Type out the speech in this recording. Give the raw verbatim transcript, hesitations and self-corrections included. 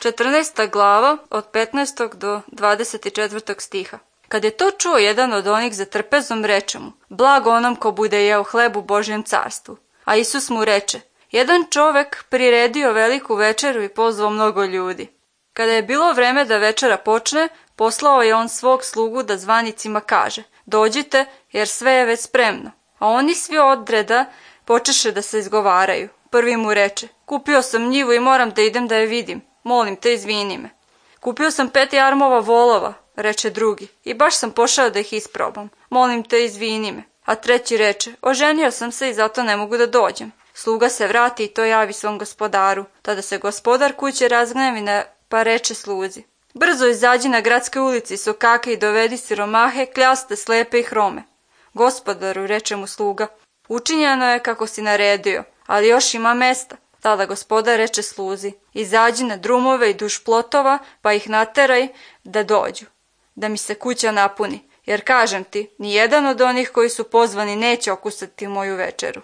četrnaesta glava od petnaestog do dvadeset četvrtog stiha. Kad je to čuo jedan od onih za trpezom, reče mu: blago onom ko bude jeo hleb u Božjem carstvu. A Isus mu reče: jedan čovek priredio veliku večeru i pozvao mnogo ljudi. Kada je bilo vreme da večera počne, poslao je on svog slugu da zvanicima kaže: dođite, jer sve je već spremno. A oni svi odreda počeše da se izgovaraju. Prvi mu reče: kupio sam njivu i moram da idem da je vidim. Molim te, izvini me. Kupio sam pet jarmova volova, reče drugi, i baš sam pošao da ih isprobam. Molim te, izvini me. A treći reče: oženio sam se i zato ne mogu da dođem. Sluga se vrati i to javi svom gospodaru. Tada se gospodar kuće razgnevi, pa reče sluzi: brzo izađi na gradske ulici, sokake i dovedi siromahe, kljaste, slepe i hrome. Gospodaru, reče mu sluga, učinjeno je kako si naredio, ali još ima mesta. Tada gospodar reče sluzi: izađi na drumove i duž plotova, pa ih nateraj da dođu, da mi se kuća napuni, jer kažem ti, nijedan od onih koji su pozvani neće okusati moju večeru.